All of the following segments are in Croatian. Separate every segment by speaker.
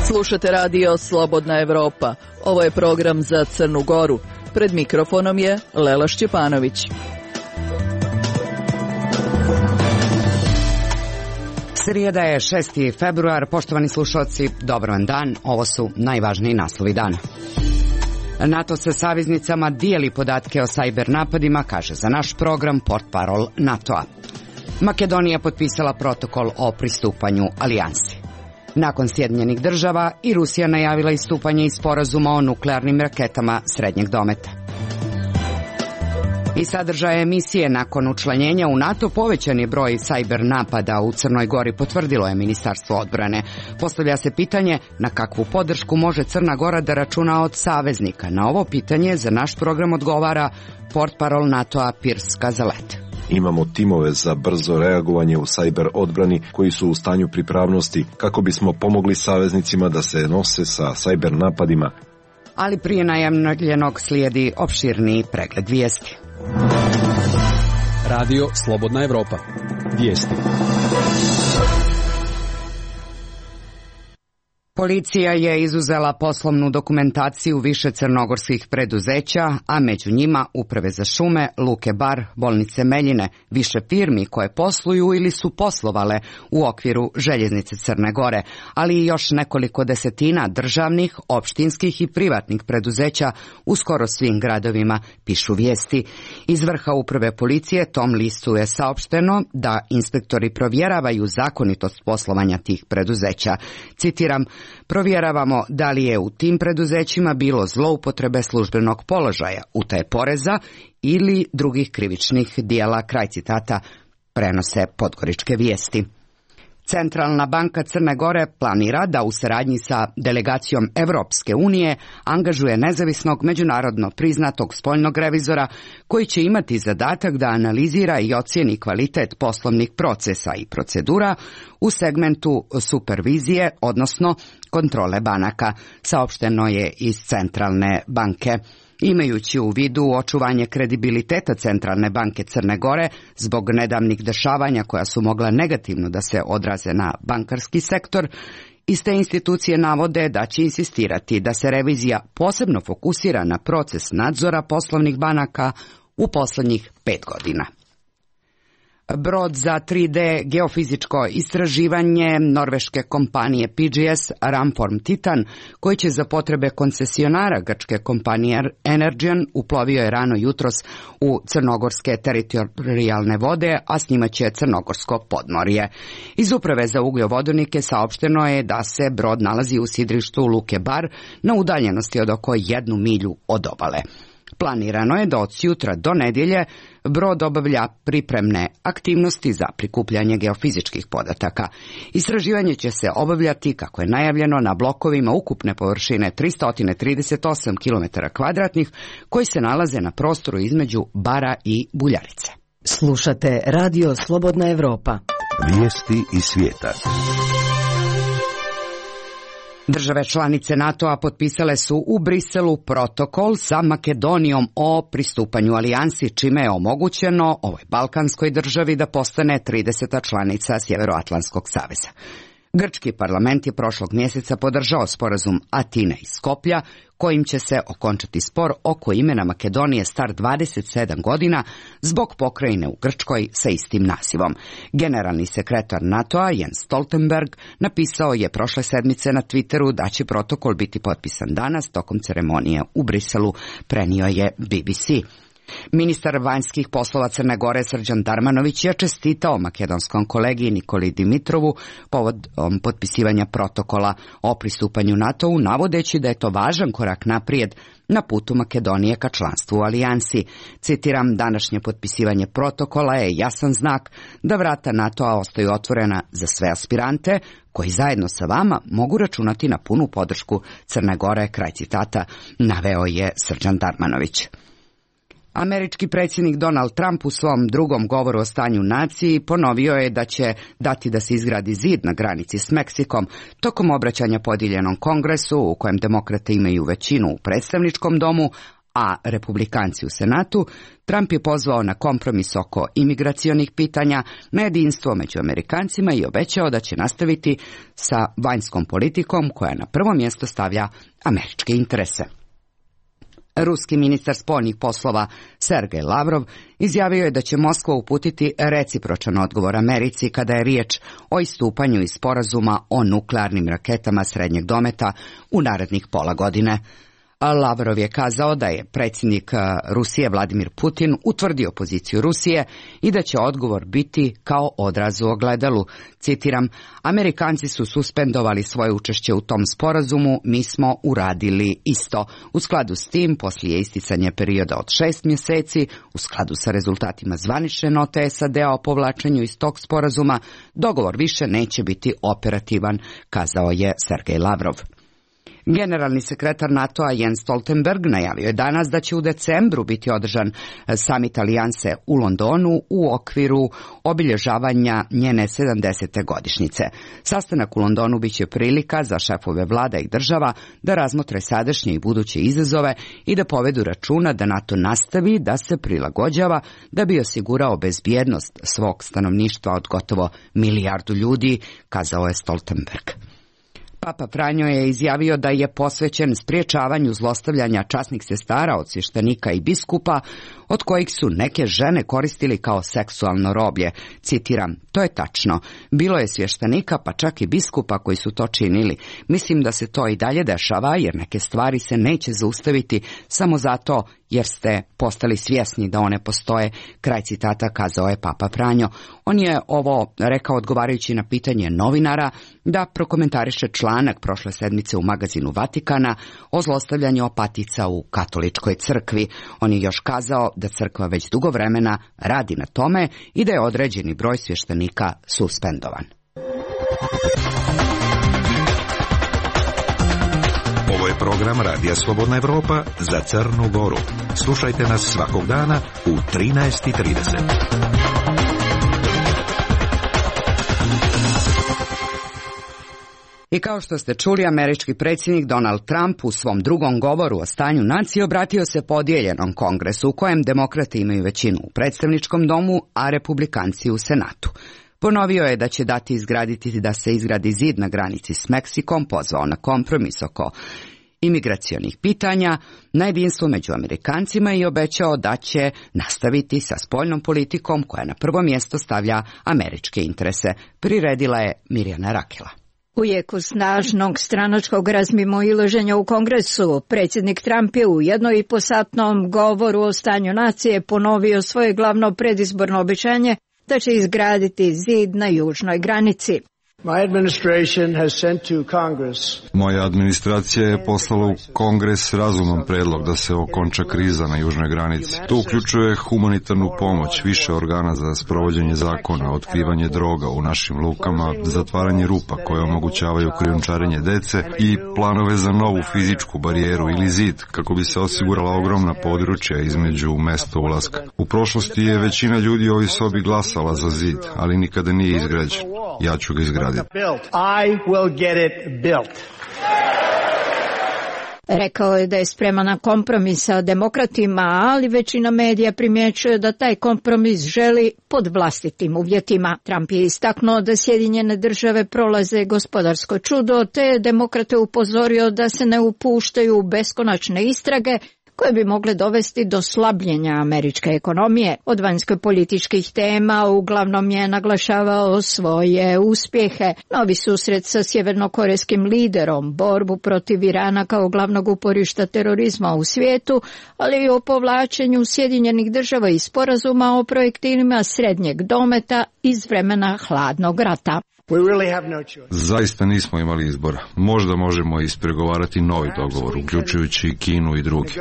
Speaker 1: Slušate radio Slobodna Evropa. Ovo je program za Crnu Goru. Pred mikrofonom je Lela Šćepanović.
Speaker 2: Srijeda je 6. februar. Poštovani slušalci, dobar vam dan. Ovo su najvažniji naslovi dana. NATO sa saveznicama dijeli podatke o sajber napadima, kaže za naš program portparol NATO-a. Makedonija potpisala protokol o pristupanju alijansi. Nakon Sjedinjenih država i Rusija najavila istupanje iz sporazuma o nuklearnim raketama srednjeg dometa. I sadržaje emisije nakon učlanjenja u NATO povećan je broj sajber napada u Crnoj Gori, potvrdilo je Ministarstvo odbrane. Postavlja se pitanje na kakvu podršku može Crna Gora da računa od saveznika. Na ovo pitanje za naš program odgovara portparol NATO-a Piers Kazalet.
Speaker 3: Imamo timove za brzo reagovanje u sajber odbrani koji su u stanju pripravnosti kako bismo pomogli saveznicima da se nose sa sajber napadima.
Speaker 2: Ali prije najavljenog slijedi opširniji pregled vijesti.
Speaker 4: Radio Slobodna Evropa. Vijesti.
Speaker 2: Policija je izuzela poslovnu dokumentaciju više crnogorskih preduzeća, a među njima Uprave za šume, Luke Bar, Bolnice Meljine, više firmi koje posluju ili su poslovale u okviru Željeznice Crne Gore, ali i još nekoliko desetina državnih, opštinskih i privatnih preduzeća u skoro svim gradovima, pišu vijesti. Iz vrha Uprave policije tom listu je saopšteno da inspektori provjeravaju zakonitost poslovanja tih preduzeća. Citiram: provjeravamo da li je u tim preduzećima bilo zloupotrebe službenog položaja, utaje poreza ili drugih krivičnih dijela, kraj citata, prenose podgoričke vijesti. Centralna banka Crne Gore planira da u saradnji sa delegacijom Evropske unije angažuje nezavisnog međunarodno priznatog spoljnog revizora koji će imati zadatak da analizira i ocijeni kvalitet poslovnih procesa i procedura u segmentu supervizije, odnosno kontrole banaka, saopšteno je iz Centralne banke. Imajući u vidu očuvanje kredibiliteta Centralne banke Crne Gore zbog nedavnih dešavanja koja su mogla negativno da se odraze na bankarski sektor, iste institucije navode da će insistirati da se revizija posebno fokusira na proces nadzora poslovnih banaka u posljednjih 5 godina. Brod za 3D geofizičko istraživanje norveške kompanije PGS Ramform Titan, koji će za potrebe koncesionara grčke kompanije Energean uplovio je rano jutros u crnogorske teritorijalne vode, a snimaće crnogorsko podmorje. Iz Uprave za ugljenovodonike saopšteno je da se brod nalazi u sidrištu Luke Bar na udaljenosti od oko 1 milju od obale. Planirano je da od sutra do nedjelje brod obavlja pripremne aktivnosti za prikupljanje geofizičkih podataka. Istraživanje će se obavljati, kako je najavljeno, na blokovima ukupne površine 338 km2 koji se nalaze na prostoru između Bara i Buljarice.
Speaker 5: Slušate Radio Slobodna Evropa.
Speaker 6: Vijesti iz svijeta.
Speaker 2: Države članice NATO-a potpisale su u Briselu protokol sa Makedonijom o pristupanju alijansi, čime je omogućeno ovoj balkanskoj državi da postane 30. članica Sjevernoatlantskog saveza. Grčki parlament je prošlog mjeseca podržao sporazum Atine i Skoplja, kojim će se okončati spor oko imena Makedonije star 27 godina zbog pokrajine u Grčkoj sa istim nazivom. Generalni sekretar NATO-a Jens Stoltenberg napisao je prošle sedmice na Twitteru da će protokol biti potpisan danas tokom ceremonije u Briselu, prenio je BBC. Ministar vanjskih poslova Crne Gore Srđan Darmanović je čestitao makedonskom kolegi Nikoli Dimitrovu povodom potpisivanja protokola o pristupanju NATO-u, navodeći da je to važan korak naprijed na putu Makedonije ka članstvu u alijansi. Citiram: današnje potpisivanje protokola je jasan znak da vrata NATO-a ostaju otvorena za sve aspirante koji zajedno sa vama mogu računati na punu podršku Crne Gore, kraj citata, naveo je Srđan Darmanović. Američki predsjednik Donald Trump u svom drugom govoru o stanju naciji ponovio je da će dati da se izgradi zid na granici s Meksikom tokom obraćanja podijeljenom kongresu u kojem demokrate imaju većinu u predstavničkom domu, a republikanci u Senatu. Trump je pozvao na kompromis oko imigracionih pitanja, na jedinstvo među Amerikancima i obećao da će nastaviti sa vanjskom politikom koja na prvo mjesto stavlja američke interese. Ruski ministar spoljnih poslova Sergej Lavrov izjavio je da će Moskva uputiti recipročan odgovor Americi kada je riječ o istupanju iz sporazuma o nuklearnim raketama srednjeg dometa u narednih pola godine. Lavrov je kazao da je predsjednik Rusije Vladimir Putin utvrdio poziciju Rusije i da će odgovor biti kao odraz u ogledalu. Citiram, Amerikanci su suspendovali svoje učešće u tom sporazumu, mi smo uradili isto. U skladu s tim, poslije isticanja perioda od 6 mjeseci, u skladu sa rezultatima zvanične note SAD-a o povlačenju iz tog sporazuma, dogovor više neće biti operativan, kazao je Sergej Lavrov. Generalni sekretar NATO-a Jens Stoltenberg najavio je danas da će u decembru biti održan samit alijanse u Londonu u okviru obilježavanja njene 70. godišnjice. Sastanak u Londonu biće prilika za šefove vlada i država da razmotre sadašnje i buduće izazove i da povedu računa da NATO nastavi da se prilagođava da bi osigurao bezbjednost svog stanovništva od gotovo 1 milijardu ljudi, kazao je Stoltenberg. Papa Franjo je izjavio da je posvećen sprječavanju zlostavljanja časnih sestara od svještenika i biskupa, od kojih su neke žene koristili kao seksualno roblje. Citiram, to je tačno. Bilo je svještenika, pa čak i biskupa koji su to činili. Mislim da se to i dalje dešava, jer neke stvari se neće zaustaviti samo zato jer ste postali svjesni da one postoje. Kraj citata, kazao je Papa Franjo. On je ovo rekao odgovarajući na pitanje novinara da prokomentariše članak prošle sedmice u magazinu Vatikana o zlostavljanju opatica u katoličkoj crkvi. On je još kazao da crkva već dugo vremena radi na tome i da je određeni broj svještenika suspendovan.
Speaker 6: Ovo je program Radija Slobodna Evropa za Crnu Goru. Slušajte nas svakog dana u 13:30.
Speaker 2: I kao što ste čuli, američki predsjednik Donald Trump u svom drugom govoru o stanju nacije obratio se podijeljenom kongresu u kojem demokrati imaju većinu u predstavničkom domu, a republikanci u Senatu. Ponovio je da će dati izgraditi da se izgradi zid na granici s Meksikom, pozvao na kompromis oko imigracionih pitanja, na jedinstvo među Amerikancima i obećao da će nastaviti sa spoljnom politikom koja na prvo mjesto stavlja američke interese. Priredila je Mirjana Rakela.
Speaker 7: U jeku snažnog stranačkog razmimoilaženja u Kongresu, predsjednik Trump je u 1,5-satnom govoru o stanju nacije ponovio svoje glavno predizborno obećanje da će izgraditi zid na južnoj granici.
Speaker 8: Moja administracija je poslala u Kongres razuman predlog da se okonča kriza na južnoj granici. To uključuje humanitarnu pomoć, više organa za sprovođenje zakona, otkrivanje droga u našim lukama, zatvaranje rupa koje omogućavaju krijumčarenje dece i planove za novu fizičku barijeru ili zid kako bi se osigurala ogromna područja između mesta ulaska. U prošlosti je većina ljudi u ovoj sobi glasala za zid, ali nikada nije izgrađen. Ja ću ga izgraditi.
Speaker 7: Rekao je da je spreman na kompromis sa demokratima, ali većina medija primjećuje da taj kompromis želi pod vlastitim uvjetima. Trump je istaknuo da Sjedinjene države prolaze gospodarsko čudo, te je demokrate upozorio da se ne upuštaju u beskonačne istrage koje bi mogle dovesti do slabljenja američke ekonomije. Od vanjsko-političkih tema uglavnom je naglašavao svoje uspjehe, novi susret sa sjevernokorejskim liderom, borbu protiv Irana kao glavnog uporišta terorizma u svijetu, ali i o povlačenju Sjedinjenih država iz sporazuma o projektilima srednjeg dometa iz vremena hladnog rata.
Speaker 8: Zaista nismo imali izbora. Možda možemo ispregovarati novi dogovor, uključujući Kinu i drugi.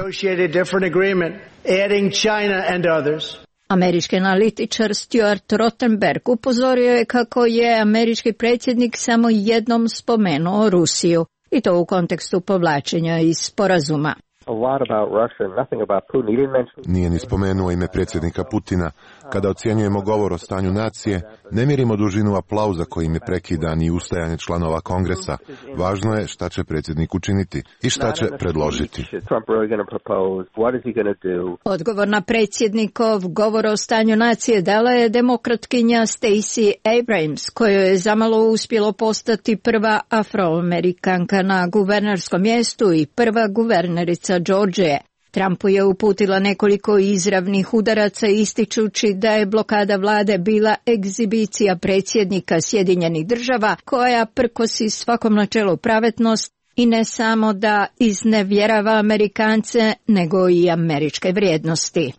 Speaker 7: Američki analitičar Stuart Rothenberg upozorio je kako je američki predsjednik samo jednom spomenuo Rusiju, i to u kontekstu povlačenja iz sporazuma.
Speaker 9: Nije ni spomenuo ime predsjednika Putina. Kada ocjenjujemo govor o stanju nacije, ne mjerimo dužinu aplauza kojim je prekidan i ustajanje članova Kongresa. Važno je šta će predsjednik učiniti i šta će predložiti.
Speaker 7: Odgovor na predsjednikov govor o stanju nacije dala je demokratkinja Stacey Abrams, kojoj je zamalo uspjelo postati prva afroamerikanka na guvernerskom mjestu i prva guvernerica Georgije. Trumpu je uputila nekoliko izravnih udaraca ističući da je blokada vlade bila egzibicija predsjednika Sjedinjenih Država koja prkosi svakom načelu pravednost i ne samo da iznevjerava Amerikance, nego i američke vrijednosti.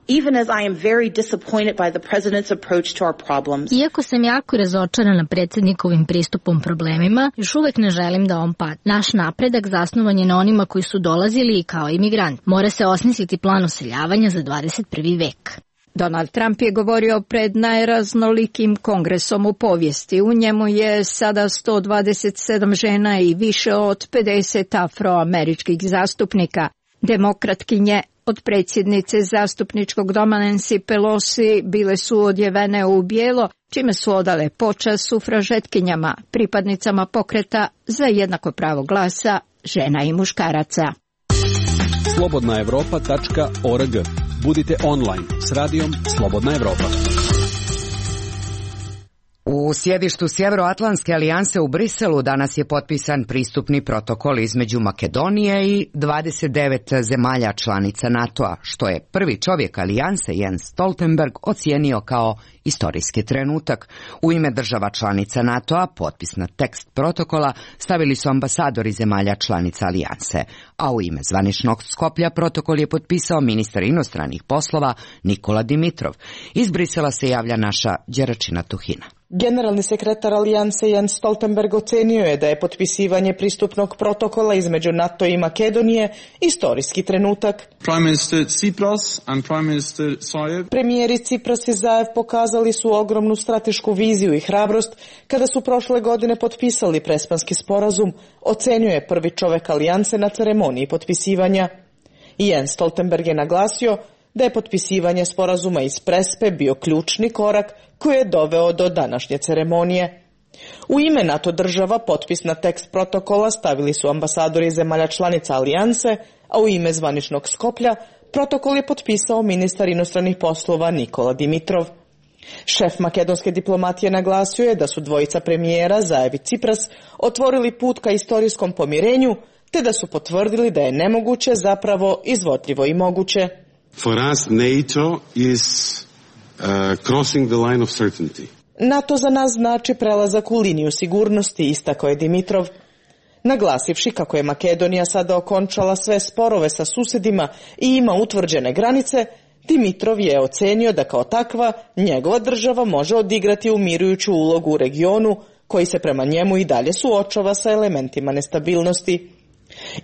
Speaker 10: Iako sam jako razočarana predsjednikovim pristupom problemima, još uvek ne želim da on padne. Naš napredak zasnovan je na onima koji su dolazili i kao imigrant. Mora se osmisliti plan useljavanja za 21. vek.
Speaker 7: Donald Trump je govorio pred najraznolikim kongresom u povijesti. U njemu je sada 127 žena i više od 50 afroameričkih zastupnika. Demokratkinje od predsjednice zastupničkog doma Nancy Pelosi bile su odjevene u bijelo, čime su odale počast sufražetkinjama, pripadnicama pokreta za jednako pravo glasa žena i muškaraca.
Speaker 4: slobodnaevropa.org. Budite online s radijom Slobodna Evropa.
Speaker 2: U sjedištu Sjeveroatlantske alijanse u Briselu danas je potpisan pristupni protokol između Makedonije i 29 zemalja članica NATO-a, što je prvi čovjek alijanse Jens Stoltenberg ocijenio kao istorijski trenutak. U ime država članica NATO-a potpis na tekst protokola stavili su ambasadori zemalja članica alijanse, a u ime zvaničnog Skoplja protokol je potpisao ministar inostranih poslova Nikola Dimitrov. Iz Brisela se javlja naša Đeračina Tuhina.
Speaker 11: Generalni sekretar alijanse Jens Stoltenberg ocenio je da je potpisivanje pristupnog protokola između NATO i Makedonije istorijski trenutak. Premijeri Tsipras i Zaev pokazali su ogromnu stratešku viziju i hrabrost kada su prošle godine potpisali Prespanski sporazum, ocenio je prvi čovjek alijanse na ceremoniji potpisivanja. Jens Stoltenberg je naglasio da je potpisivanje sporazuma iz Prespe bio ključni korak koji je doveo do današnje ceremonije. U ime NATO država potpis na tekst protokola stavili su ambasadori zemalja članica alijanse, a u ime zvaničnog Skoplja protokol je potpisao ministar inostranih poslova Nikola Dimitrov. Šef makedonske diplomatije naglasio je da su dvojica premijera Zaev i Tsipras otvorili put ka istorijskom pomirenju, te da su potvrdili da je nemoguće zapravo izvodljivo i moguće.
Speaker 12: For us, NATO is crossing the line of certainty.
Speaker 11: NATO za nas znači prelazak u liniju sigurnosti, istakao je Dimitrov. Naglasivši kako je Makedonija sada okončala sve sporove sa susjedima i ima utvrđene granice, Dimitrov je ocenio da kao takva njegova država može odigrati umirujuću ulogu u regionu koji se prema njemu i dalje suočava sa elementima nestabilnosti.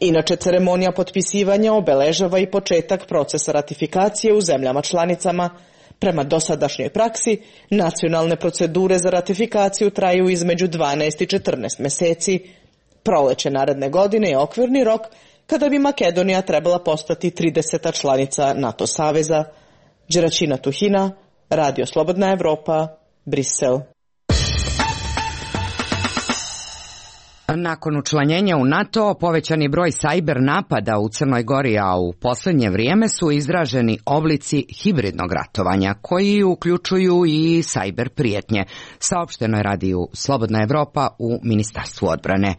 Speaker 11: Inače, ceremonija potpisivanja obeležava i početak procesa ratifikacije u zemljama članicama. Prema dosadašnjoj praksi, nacionalne procedure za ratifikaciju traju između 12 i 14 mjeseci. Proleće naredne godine je okvirni rok kada bi Makedonija trebala postati 30. članica NATO saveza. Đeračina Tuhina, Radio Slobodna Evropa, Brisel.
Speaker 2: Nakon učlanjenja u NATO, povećani broj sajber napada u Crnoj Gori, a u posljednje vrijeme su izraženi oblici hibridnog ratovanja, koji uključuju i sajber prijetnje, saopšteno je radiju Slobodna Evropa u Ministarstvu odbrane.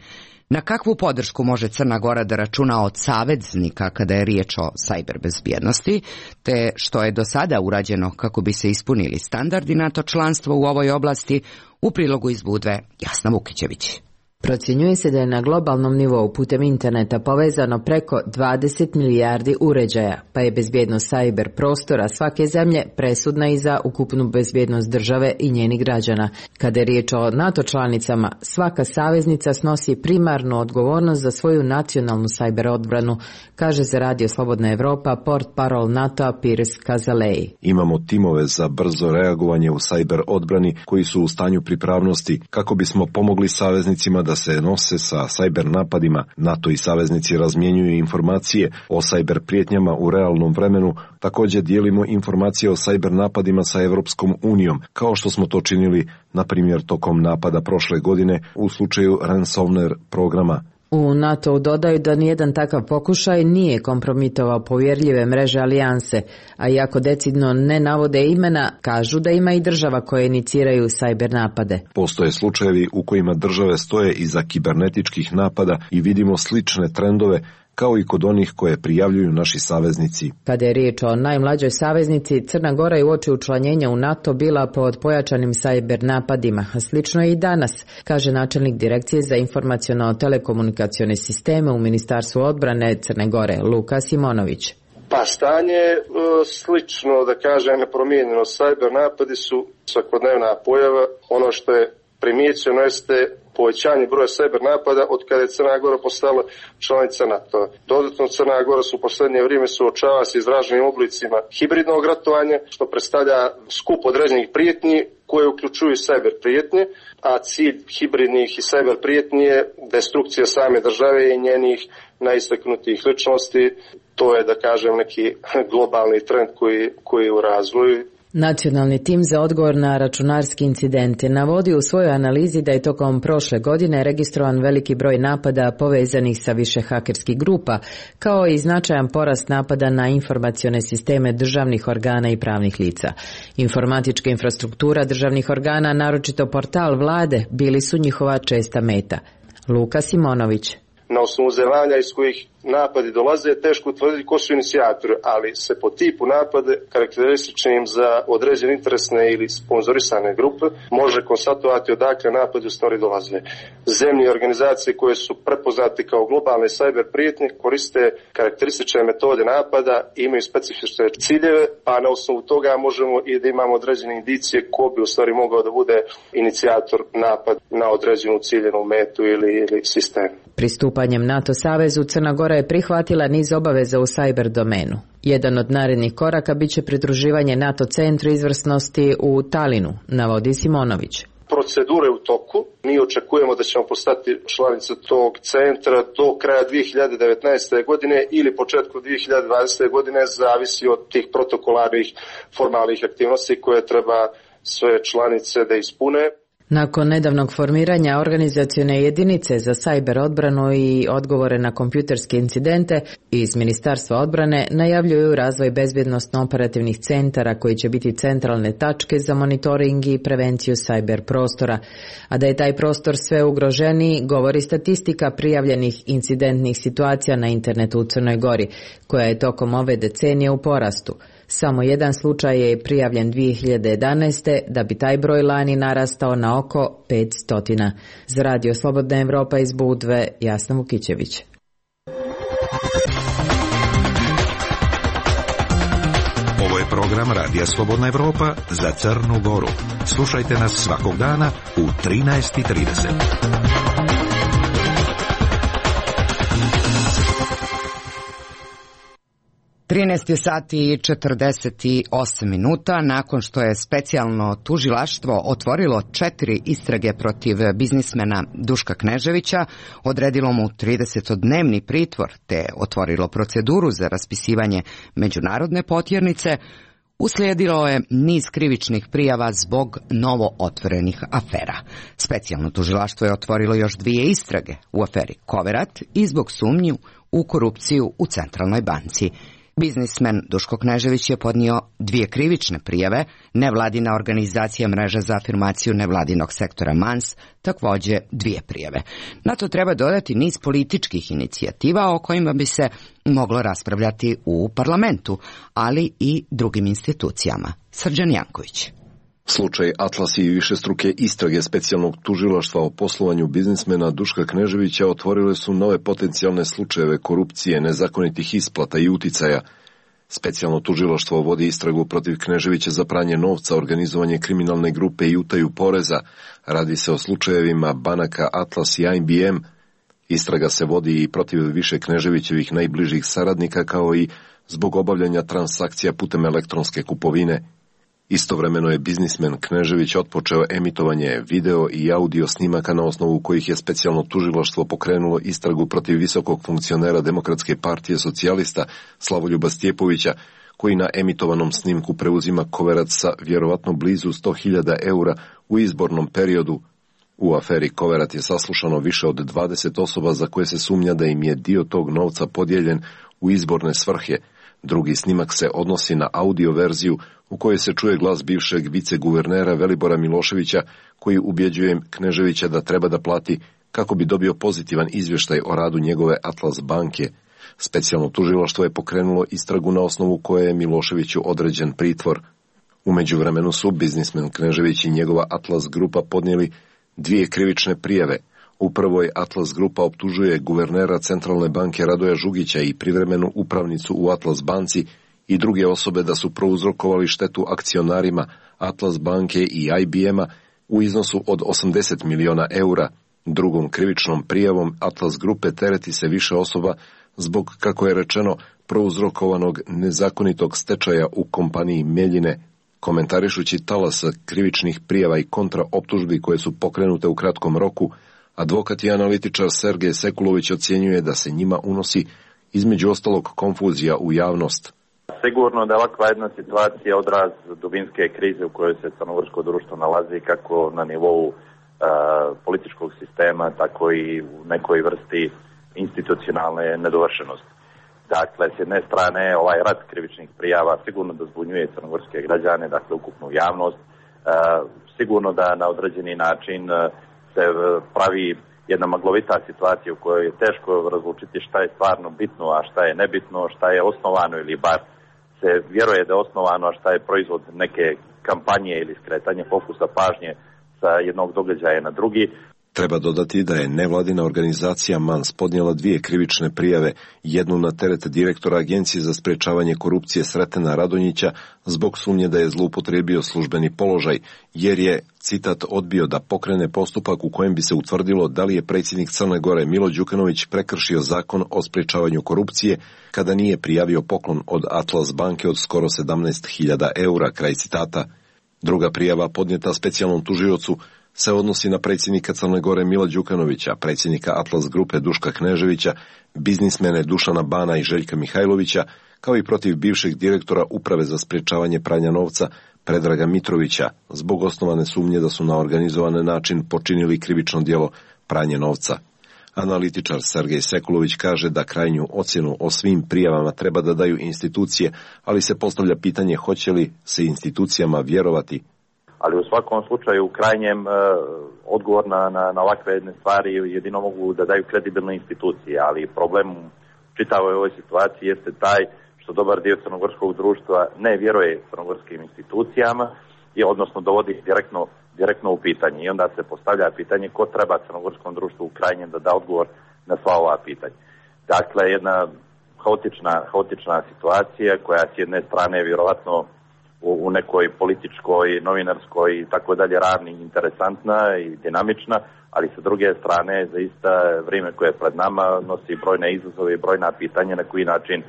Speaker 2: Na kakvu podršku može Crna Gora da računa od saveznika kada je riječ o sajber bezbjednosti, te što je do sada urađeno kako bi se ispunili standardi NATO članstva u ovoj oblasti, u prilogu iz Budve Jasna Vukićević.
Speaker 5: Procjenjuje se da je na globalnom nivou putem interneta povezano preko 20 milijardi uređaja, pa je bezbjednost sajber prostora svake zemlje presudna i za ukupnu bezbjednost države i njenih građana. Kada je riječ o NATO članicama, svaka saveznica snosi primarnu odgovornost za svoju nacionalnu sajber odbranu, kaže za Radio Slobodna Evropa portparol NATO-a Piers Kazalej.
Speaker 3: Imamo timove za brzo reagovanje u sajber odbrani koji su u stanju pripravnosti kako bismo pomogli saveznicima da se nose sa sajber napadima. NATO i saveznici razmjenjuju informacije o sajber prijetnjama u realnom vremenu. Također dijelimo informacije o sajber napadima sa Evropskom unijom, kao što smo to činili, na primjer, tokom napada prošle godine u slučaju ransomware programa.
Speaker 5: U NATO dodaju da nijedan takav pokušaj nije kompromitovao povjerljive mreže alijanse, a iako decidno ne navode imena, kažu da ima i država koje iniciraju sajber napade.
Speaker 3: Postoje slučajevi u kojima države stoje iza kibernetičkih napada i vidimo slične trendove kao i kod onih koje prijavljuju naši saveznici.
Speaker 5: Kada je riječ o najmlađoj saveznici, Crna Gora je uoči učlanjenja u NATO bila pod pojačanim sajber napadima, a slično je i danas, kaže načelnik Direkcije za informaciono-telekomunikacione sisteme u Ministarstvu odbrane Crne Gore, Luka Simonović.
Speaker 13: Pa stanje je slično, da kažem, nepromijenjeno. Sajber napadi su svakodnevna pojava. Ono što je primijećeno jeste povećanje broja sajber napada od kada je Crna Gora postala članica NATO. Dodatno Crna Gora su u posljednje vrijeme suočava se izraženim oblicima hibridnog ratovanja, što predstavlja skup određenih prijetnji koje uključuju sajber prijetnje, a cilj hibridnih i sajber prijetnji je destrukcija same države i njenih najistaknutijih ličnosti. To je, da kažem, neki globalni trend koji je u razvoju.
Speaker 5: Nacionalni tim za odgovor na računarski incidente navodi u svojoj analizi da je tokom prošle godine registrovan veliki broj napada povezanih sa više hakerskih grupa, kao i značajan porast napada na informacione sisteme državnih organa i pravnih lica. Informatička infrastruktura državnih organa, naročito portal vlade, bili su njihova česta meta. Luka Simonović.
Speaker 13: Na osnovu zemalja iz kojih napadi dolaze, teško utvrditi ko su inicijatori, ali se po tipu napade karakterističnim za određene interesne ili sponzorisane grupe može konstatovati odakle napadi u stvari dolaze. Zemlje i organizacije koje su prepoznate kao globalne sajber prijetnje koriste karakteristične metode napada i imaju specifične ciljeve, pa na osnovu toga možemo i da imamo određene indicije ko bi u stvari mogao da bude inicijator napad na određenu ciljenu metu ili sistem.
Speaker 5: Pristupanjem NATO savezu Crna Gora je prihvatila niz obaveza u sajber domenu. Jedan od narednih koraka biće pridruživanje NATO centru izvrsnosti u Talinu, navodi Simonović.
Speaker 13: Procedure u toku. Mi očekujemo da ćemo postati članica tog centra do kraja 2019. godine ili početku 2020. godine, zavisi od tih protokolarnih formalnih aktivnosti koje treba sve članice da ispune.
Speaker 5: Nakon nedavnog formiranja organizacione jedinice za sajber odbranu i odgovore na kompjuterske incidente, iz Ministarstva odbrane najavljuju razvoj bezbjednosno-operativnih centara koji će biti centralne tačke za monitoring i prevenciju sajber prostora. A da je taj prostor sve ugroženiji, govori statistika prijavljenih incidentnih situacija na internetu u Crnoj Gori, koja je tokom ove decenije u porastu. Samo jedan slučaj je prijavljen 2011. da bi taj broj lani narastao na oko 500. Za Radio Slobodna Evropa iz Budve, Jasna Vukićević.
Speaker 6: Ovo je program Radija Slobodna Evropa za Crnu Goru. Slušajte nas svakog dana u 13:30.
Speaker 2: 13 sati i 48 minuta nakon što je specijalno tužilaštvo otvorilo 4 istrage protiv biznismena Duška Kneževića, odredilo mu 30-dnevni pritvor te otvorilo proceduru za raspisivanje međunarodne potjernice, uslijedilo je niz krivičnih prijava zbog novo otvorenih afera. Specijalno tužilaštvo je otvorilo još 2 istrage u aferi Koverat i zbog sumnji u korupciju u Centralnoj banci. Biznismen Duško Knežević je podnio 2 krivične prijave, nevladina organizacija Mreža za afirmaciju nevladinog sektora MANS također 2 prijave. Na to treba dodati niz političkih inicijativa o kojima bi se moglo raspravljati u parlamentu, ali i drugim institucijama. Srđan Janković.
Speaker 3: Slučaj Atlas i višestruke istrage specijalnog tužilaštva o poslovanju biznismena Duška Kneževića otvorile su nove potencijalne slučajeve korupcije, nezakonitih isplata i uticaja. Specijalno tužilaštvo vodi istragu protiv Kneževića za pranje novca, organizovanje kriminalne grupe i utaju poreza. Radi se o slučajevima banaka Atlas i IBM. Istraga se vodi i protiv više Kneževićevih najbližih saradnika, kao i zbog obavljanja transakcija putem elektronske kupovine. Istovremeno je biznismen Knežević otpočeo emitovanje video i audio snimaka na osnovu kojih je specijalno tužilaštvo pokrenulo istragu protiv visokog funkcionera Demokratske partije socijalista Slavoljuba Stjepovića, koji na emitovanom snimku preuzima koverac sa vjerovatno blizu 100.000 eura u izbornom periodu. U aferi Koverat je saslušano više od 20 osoba za koje se sumnja da im je dio tog novca podijeljen u izborne svrhe. Drugi snimak se odnosi na audio verziju u kojoj se čuje glas bivšeg viceguvernera Velibora Miloševića, koji ubjeđuje Kneževića da treba da plati kako bi dobio pozitivan izvještaj o radu njegove Atlas banke. Specijalno tužilaštvo je pokrenulo istragu na osnovu koje je Miloševiću određen pritvor. U međuvremenu su biznismen Knežević i njegova Atlas grupa podnijeli 2 krivične prijave. U prvoj Atlas grupa optužuje guvernera Centralne banke Radoja Žugića i privremenu upravnicu u Atlas banci i druge osobe da su prouzrokovali štetu akcionarima Atlas banke i IBM-a u iznosu od 80 miliona eura. Drugom krivičnom prijavom Atlas grupe tereti se više osoba zbog, kako je rečeno, prouzrokovanog nezakonitog stečaja u kompaniji Meljine. Komentarišući talas krivičnih prijava i kontraoptužbi koje su pokrenute u kratkom roku, advokat i analitičar Sergej Sekulović ocjenjuje da se njima unosi između ostalog konfuzija u javnost.
Speaker 14: Sigurno da ovakva jedna situacija odraz dubinske krize u kojoj se crnogorsko društvo nalazi, kako na nivou političkog sistema, tako i u nekoj vrsti institucionalne nedovršenosti. Dakle, s jedne strane, ovaj rat krivičnih prijava sigurno da zbunjuje crnogorske građane, dakle, ukupnu javnost. Sigurno da na određeni način se pravi jedna maglovita situacija u kojoj je teško razlučiti šta je stvarno bitno, a šta je nebitno, šta je osnovano ili bar se vjeruje da je osnovano, a šta je proizvod neke kampanje ili skretanje fokusa pažnje sa jednog događaja na drugi.
Speaker 3: Treba dodati da je nevladina organizacija MANS podnijela 2 krivične prijave, jednu na teret direktora Agencije za sprečavanje korupcije Sretena Radonjića zbog sumnje da je zloupotrijebio službeni položaj, jer je, citat, odbio da pokrene postupak u kojem bi se utvrdilo da li je predsjednik Crne Gore Milo Đukanović prekršio zakon o sprečavanju korupcije kada nije prijavio poklon od Atlas banke od skoro 17.000 eura, kraj citata. Druga prijava podnijeta specijalnom tužiocu se odnosi na predsjednika Crne Gore Mila Đukanovića, predsjednika Atlas grupe Duška Kneževića, biznismene Dušana Bana i Željka Mihajlovića, kao i protiv bivšeg direktora Uprave za sprečavanje pranja novca Predraga Mitrovića, zbog osnovane sumnje da su na organizovan način počinili krivično djelo pranje novca. Analitičar Sergej Sekulović kaže da krajnju ocjenu o svim prijavama treba da daju institucije, ali se postavlja pitanje hoće li se institucijama vjerovati.
Speaker 14: Ali u svakom slučaju u krajnjem odgovor na ovakve jedne stvari jedino mogu da daju kredibilne institucije, ali problem čitavoj ovoj situaciji jeste taj što dobar dio crnogorskog društva ne vjeruje crnogorskim institucijama i odnosno dovodi direktno u pitanje. I onda se postavlja pitanje ko treba crnogorskom društvu u krajnjem da da odgovor na sva ova pitanja. Dakle, jedna haotična situacija koja s jedne strane vjerovatno u nekoj političkoj, novinarskoj i tako dalje ravni interesantna i dinamična, ali sa druge strane zaista vrijeme koje je pred nama nosi brojne izazove i brojna pitanja na koji način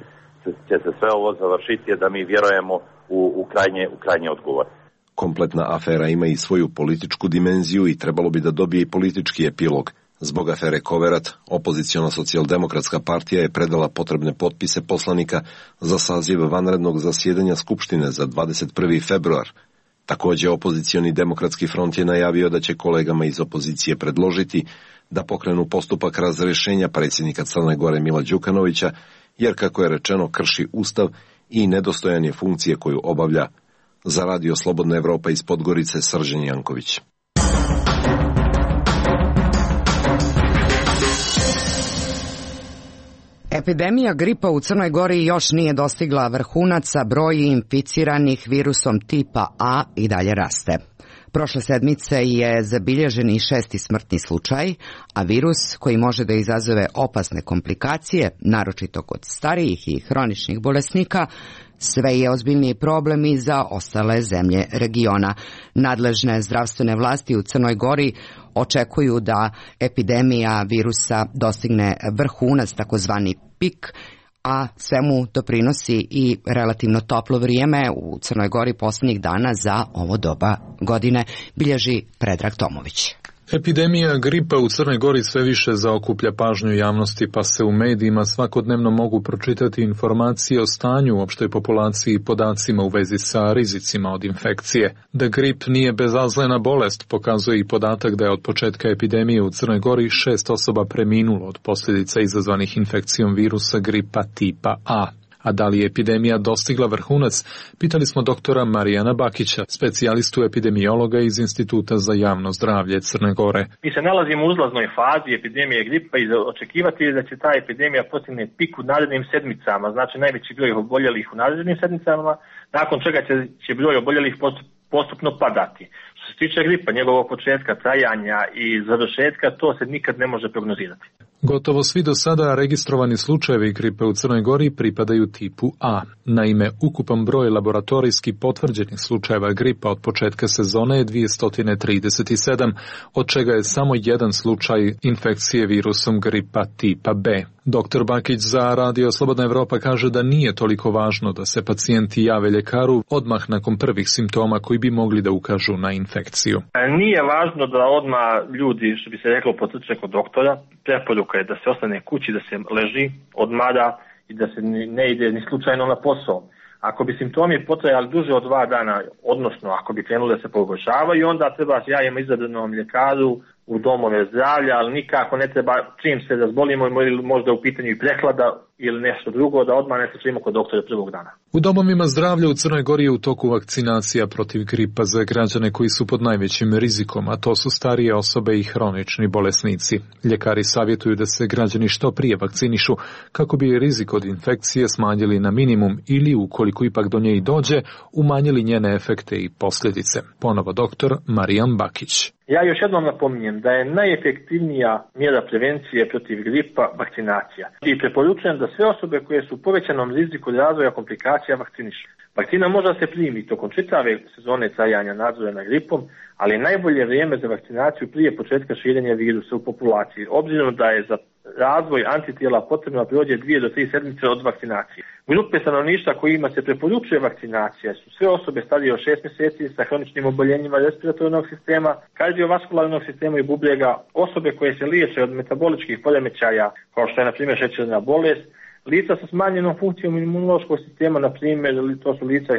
Speaker 14: će se sve ovo završiti da mi vjerujemo u krajnje odgovor.
Speaker 3: Kompletna afera ima i svoju političku dimenziju i trebalo bi da dobije i politički epilog. Zbog afere Koverat, opoziciona socijaldemokratska partija je predala potrebne potpise poslanika za saziv vanrednog zasjedanja Skupštine za 21. februar. Također, opozicioni demokratski front je najavio da će kolegama iz opozicije predložiti da pokrenu postupak razrješenja predsjednika Crne Gore Mila Đukanovića, jer, kako je rečeno, krši Ustav i nedostojan je funkcije koju obavlja. Za Radio Slobodna Evropa iz Podgorice, Srđan Janković.
Speaker 2: Epidemija gripa u Crnoj Gori još nije dostigla vrhunac, a broj inficiranih virusom tipa A i dalje raste. Prošle sedmice je zabilježen i 6. smrtni slučaj, a virus koji može da izazove opasne komplikacije, naročito kod starijih i hroničnih bolesnika, sve je ozbiljniji problem i za ostale zemlje regiona. Nadležne zdravstvene vlasti u Crnoj Gori očekuju da epidemija virusa dostigne vrhunac, takozvani pik, a svemu doprinosi i relativno toplo vrijeme u Crnoj Gori posljednjih dana za ovo doba godine, bilježi Predrag Tomović.
Speaker 15: Epidemija gripa u Crnoj Gori sve više zaokuplja pažnju javnosti, pa se u medijima svakodnevno mogu pročitati informacije o stanju u opštoj populaciji i podacima u vezi sa rizicima od infekcije. Da grip nije bezazlena bolest pokazuje i podatak da je od početka epidemije u Crnoj Gori 6 osoba preminulo od posljedica izazvanih infekcijom virusa gripa tipa A. A da li je epidemija dostigla vrhunac, pitali smo doktora Marijana Bakića, specijalistu epidemiologa iz Instituta za javno zdravlje Crne Gore.
Speaker 16: Mi se nalazimo u uzlaznoj fazi epidemije gripa i očekivati je da će ta epidemija postigne pik u narednim sedmicama, znači najveći broj oboljelih u narednim sedmicama, nakon čega će broj oboljelih postupno padati. Što se tiče gripa, njegovog početka, trajanja i završetka, to se nikad ne može prognozirati.
Speaker 15: Gotovo svi do sada registrovani slučajevi gripe u Crnoj Gori pripadaju tipu A. Naime, ukupan broj laboratorijski potvrđenih slučajeva gripa od početka sezone je 237, od čega je samo jedan slučaj infekcije virusom gripa tipa B. Dr. Bakić za Radio Slobodna Evropa kaže da nije toliko važno da se pacijenti jave ljekaru odmah nakon prvih simptoma koji bi mogli da ukažu na infekciju.
Speaker 16: Nije važno da odmah ljudi, što bi se reklo, potrče kod doktora. Preporuka je da se ostane kući, da se leži, odmara i da se ne ide ni slučajno na posao. Ako bi simptomi potrajali duže od 2 dana, odnosno ako bi krenuli da se pogoršavaju, onda treba s javimo izabranom ljekaru u domove zdravlja, ali nikako ne treba čim se razbolimo ili možda u pitanju i prehlada ili nešto drugo, da odmah ne trčimo kod doktora prvog dana.
Speaker 15: U domovima zdravlja u Crnoj Gori je u toku vakcinacija protiv gripa za građane koji su pod najvećim rizikom, a to su starije osobe i hronični bolesnici. Ljekari savjetuju da se građani što prije vakcinišu kako bi rizik od infekcije smanjili na minimum ili, ukoliko ipak do nje i dođe, umanjili njene efekte i posljedice. Ponovo doktor Marijan Bakić.
Speaker 16: Ja još jednom napominjem da je najefektivnija mjera prevencije protiv gripa vakcinacija. I preporučujem da sve osobe koje su u povećanom riziku razvoja komplikacija vakcinišu. Vakcina može da se primi tokom čitave sezone trajanja nadzora nad gripom, ali je najbolje vrijeme za vakcinaciju prije početka širenja virusa u populaciji, obzirom da je za razvoj antitijela potrebno da prođe 2 do 3 sedmice od vakcinacije. Grupe stanovništva kojima se preporučuje vakcinacija su sve osobe starije od 6 mjeseci sa hroničnim oboljenjima respiratornog sistema, kardiovaskularnog sistema i bubrega, osobe koje se liječe od metaboličkih poremećaja, kao što je na primjer šećerna bolest, lica sa smanjenom funkcijom imunološkog sistema, na primjer, to su lica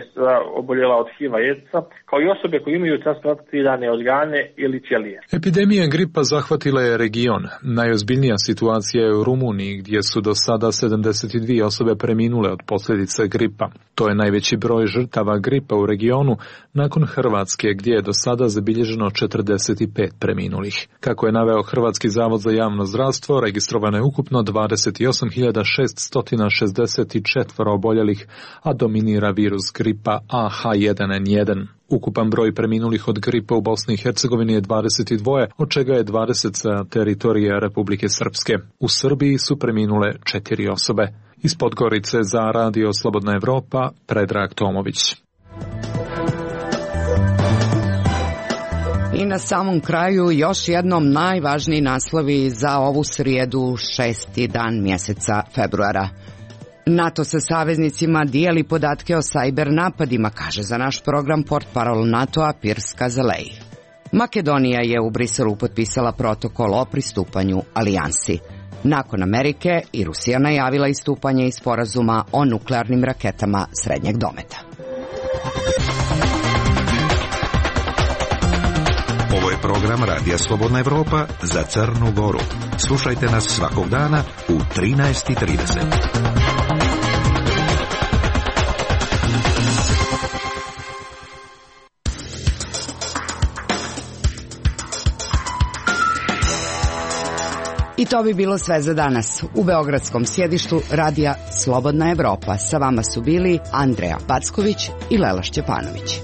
Speaker 16: oboljela od HIV-a i AIDS-a, kao i osobe koje imaju transplantirane organe ili ćelije.
Speaker 15: Epidemija gripa zahvatila je region. Najozbiljnija situacija je u Rumuniji, gdje su do sada 72 osobe preminule od posljedica gripa. To je najveći broj žrtava gripa u regionu, nakon Hrvatske, gdje je do sada zabilježeno 45 preminulih. Kako je naveo Hrvatski zavod za javno zdravstvo, registrovano je ukupno 28.664 oboljelih, a dominira virus gripa AH1N1. Ukupan broj preminulih od gripa u Bosni i Hercegovini je 22, od čega je 20 sa teritorije Republike Srpske. U Srbiji su preminule 4 osobe. Iz Podgorice za Radio Slobodna Evropa, Predrag Tomović.
Speaker 2: I na samom kraju još jednom najvažniji naslovi za ovu srijedu, 6. dan mjeseca februara. NATO sa saveznicima dijeli podatke o sajber napadima, kaže za naš program portparol NATO-a Piers Kazalej. Makedonija je u Briselu potpisala protokol o pristupanju alijansi. Nakon Amerike i Rusija najavila istupanje iz sporazuma o nuklearnim raketama srednjeg dometa.
Speaker 6: Ovo je program Radija Slobodna Evropa za Crnu Goru. Slušajte nas svakog dana u 13:30.
Speaker 2: I to bi bilo sve za danas. U beogradskom sjedištu Radija Slobodna Evropa sa vama su bili Andreja Packović i Lela Šćepanović.